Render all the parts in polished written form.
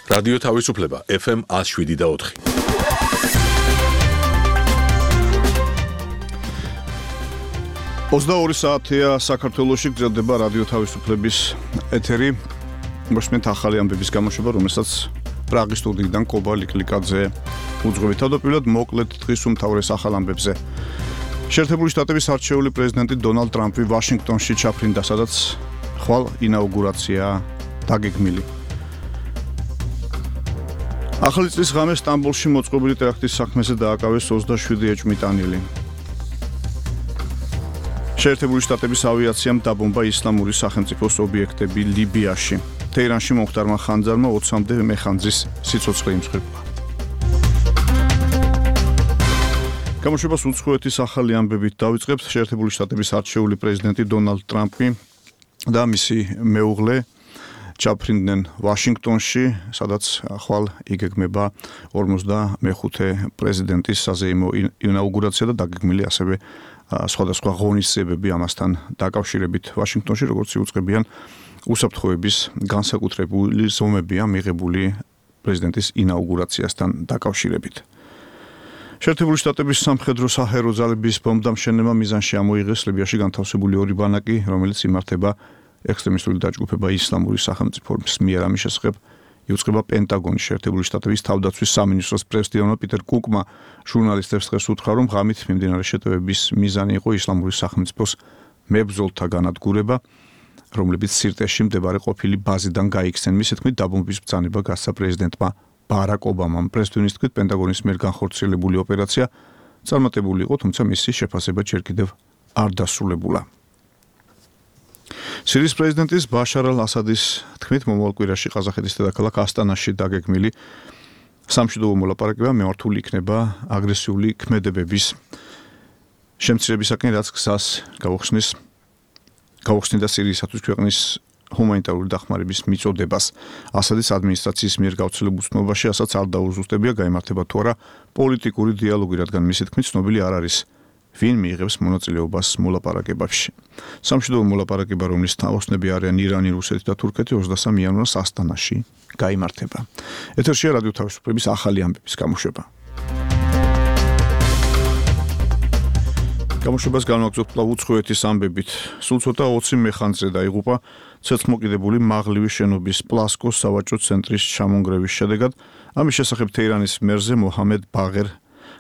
რადიო თავისუფლება FM 107.4. Ოცდაორი საათია საქართველოში გრძელდება რადიო თავისუფლების ეთერი. მოსმენთ ახალი ამბების გამოშვება, რომელსაც პრაღის სტუდიიდან კობა ლიკლიკაძე უძღვებით. თავდაპირველად მოკლედ დღის უმთავრეს ახალ ამბებზე. შეერთებული შტატების არჩეული პრეზიდენტი დონალდ ტრამპი ვაშინგტონში ჩაფრინდა, სადაც ხვალ ინაუგურაციაა დაგეგმილი. ახალი წლის ღამე სტამბოლში მოწყობილი ტერაქტის საქმეზე დააკავეს 27 ეჭვმიტანილი. შეერთებული შტატების ავიაციამ დაბომბა ისლამური სახელმწიფოს ობიექტები ლიბიაში. თეირანში მომხდარმა ხანძარმა 20-მდე მეხანძრის სიცოცხლე იმსხვერპლა. გამოშვებას უცხოეთის ახალი ამბებით დავიწყებთ. შეერთებული შტატების არჩეული პრეზიდენტი დონალდ ტრამპი და მისი მეუღლე ჩაფრინდნენ ვაშინგტონში, სადაც ხვალ იგეგმება 55-მე პრეზიდენტის საზეიმო ინაუგურაცია და დაგეგმილი ასევე სხვადასხვა ღონისძიებები ამასთან დაკავშირებით. ვაშინგტონში, როგორც იუწყებიან, უსაფრთხოების განსაკუთრებული ზომებია მიღებული პრეზიდენტის ინაუგურაციასთან დაკავშირებით. შეერთებული შტატების სამხედრო საჰაერო ძალების ბომბდამშენებმა მიზანში ამოიღეს ლიბიაში განთავსებული ორი ბანაკი, რომელიც იმართება ექსტრემისტული დაჯგუფება ისლამური სახელმწიფოს მიერ. ამის შესახებ იუწყება პენტაგონის. შეერთებული შტატების თავდაცვის სამინისტროს პრეზიდენტმა პიტერ კუკმა ჟურნალისტებს დღეს უთხრა, რომ ღამით მიმდინარე შეტევების მიზანი იყო ისლამური სახელმწიფოს მებრძოლთა განადგურება, რომლებიც სირტეში მდებარე ყოფილი ბაზიდან გაიქცნენ. მისი თქმით, დაბომბვის ბრძანება გასცა პრეზიდენტმა ბარაკ ობამამ. პრეზიდენტის თქმით, პენტაგონის მიერ განხორციელებული ოპერაცია წარმატებული იყო, თუმცა მისი შეფასება ჯერ კიდევ არ დასრულებულა. სირიის პრეზიდენტის ბაშარ ალ-ასადის თქმით, მომავალ კვირაში ყაზახეთის დედაქალაქ ასტანაში დაგეგმილი სამშვიდობო მოლაპარაკება მიმართული იქნება აგრესიული ქმედებების შემცირებისაკენ, რაც გზას გაუხსნიდა სირიისათვის ქვეყნის ჰუმანიტარული დახმარების მიწოდებას. ასადის ადმინისტრაციის მიერ გავრცელებულ ცნობაში ასაც არ დაუზუსტებია, გაიმართება თუ არა პოლიტიკური დიალოგი, რადგან მისი თქმით, ცნობილი არ არის ვინ მიიღებს მონაწილეობას მოლაპარაკებებში. სამშვიდობო მოლაპარაკება, რომლის თაოსნები არიან ირანი, რუსეთი და თურქეთი, 23 იანვარს ასტანაში გაიმართება. ეთერშია რადიო თავისუფლების ახალი ამბების გამოშვება. გამოშვებას განვაგრძობთ უცხოეთის ამბებით. სულ ცოტა 20 მეხანძრე დაიღუპა ცეცხლმოკიდებული მაღლივი შენობის პლასკოს სავაჭრო ცენტრის ჩამონგრევის შედეგად. ამის შესახებ თეირანის მერზე მოჰამედ ბაღერ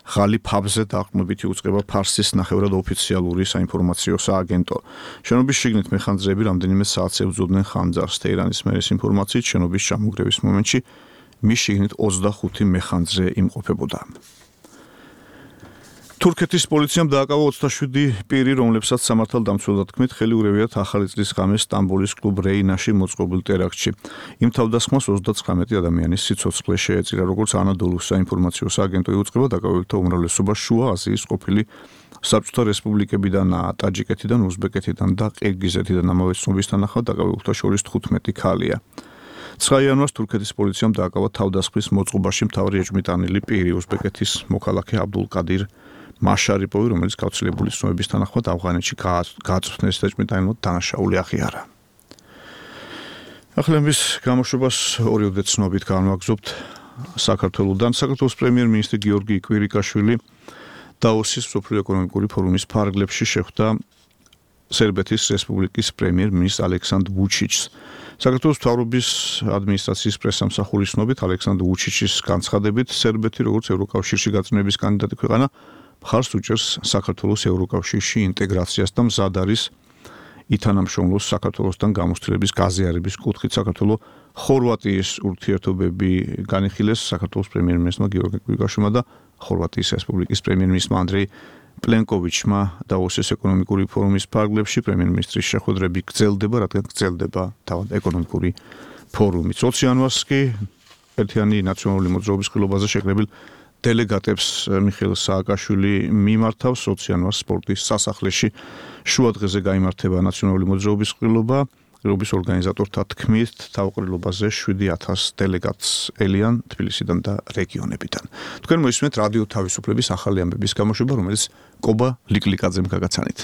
ღალიფაბზე დაყრდნობით იუწყება ფარსის ნახევრად ოფიციალური საინფორმაციო სააგენტო. შენობის შიგნით მეხანძრეები რამდენიმე საათს ებრძოდნენ ხანძარს. თეირანის მერის ინფორმაციით, შენობის ჩამონგრევის მომენტში მის შიგნით 25 მეხანძრე იმყოფებოდა. თურქეთის პოლიციამ დააკავა 27 პირი, რომლებსაც სამართალდამცველთა თქმით ხელი ურევიათ ახალი წლის ღამე სტამბოლის კლუბ რეინაში მოწყობილ ტერაქტში. იმ თავდასხმას 39 ადამიანის სიცოცხლე შეეწირა, როგორც ანადოლუს საინფორმაციო სააგენტო იუწყება, დაკავებულთა უმრავლესობა შუა აზიის ყოფილი საბჭოთა რესპუბლიკებიდანაა, ტაჯიკეთიდან, უზბეკეთიდან და ყირგიზეთიდან. ამავე ცნობის თანახმად დაკავებულთა შორის 15 ქალია. 9 იანვარს თურქეთის პოლიციამ დააკავა თავდასხმის მოწყობაში მთავარი ეჭვმიტანილი პირი, უზბეკეთის მოქალაქე აბდულკადირ მაშარიპოვი, რომელიც გავრცელებული ცნობების თანახმად ავღანეთში გაწვრთნეს და ეჭვმიტანილად დანაშაული აღიარა. ახლების გამოშვებას ორიოდე ცნობით განვაგრძობთ საქართველოსთან. საქართველოს პრემიერ-მინისტრი გიორგი კვირიკაშვილი დაოსის მსოფლიო ეკონომიკური ფორუმის ფარგლებში შეხვდა სერბეთის რესპუბლიკის პრემიერ-მინისტრ ალექსანდრ ვუჩიჩს. საქართველოს მთავრობის ადმინისტრაციის პრესსამსახურის ცნობით ალექსანდრ ვუჩიჩის განცხადებით, სერბეთი როგორც ევროკავშირში გაწმენდების კანდიდატი ქვეყანა მხარს უჭერს საქართველოს ევროკავშირში ინტეგრაციას და მზად არის ითანამშრომლოს საქართველოსთან გამოცდილების გაზიარების კუთხით. საქართველოს ხორვატიის ურთიერთობები განიხილეს საქართველოს პრემიერ-მინისტრმა გიორგი კვირიკაშვილმა და ხორვატიის რესპუბლიკის პრემიერ-მინისტრმა ანდრეი პლენკოვიჩმა დაოსის ეკონომიკური ფორუმის ფარგლებში. პრემიერ-მინისტრის შეხვედრები გრძელდება, რადგან გრძელდება თავად ეკონომიკური ფორუმი. 20 იანვარს კი ერთიანი ნაციონალური მოძრაობის ხილობაზე შეკრებილ დელეგატებს მიხეილ სააკაშვილი მიმართავს 20 იანვარს სპორტის სასახლეში. შუა დღეზე გაიმართება ნაციონალური მოძრაობის ყრილობა. ყრილობის ორგანიზატორთა თქმით, თავყრილობაზე 7000 დელეგატს ელიან თბილისიდან და რეგიონებიდან. თქვენ მოისმენთ რადიო თავისუფლების ახალი ამბების გამოშვება, რომელიც კობა ლიკლიკაძემ გაგაცანით.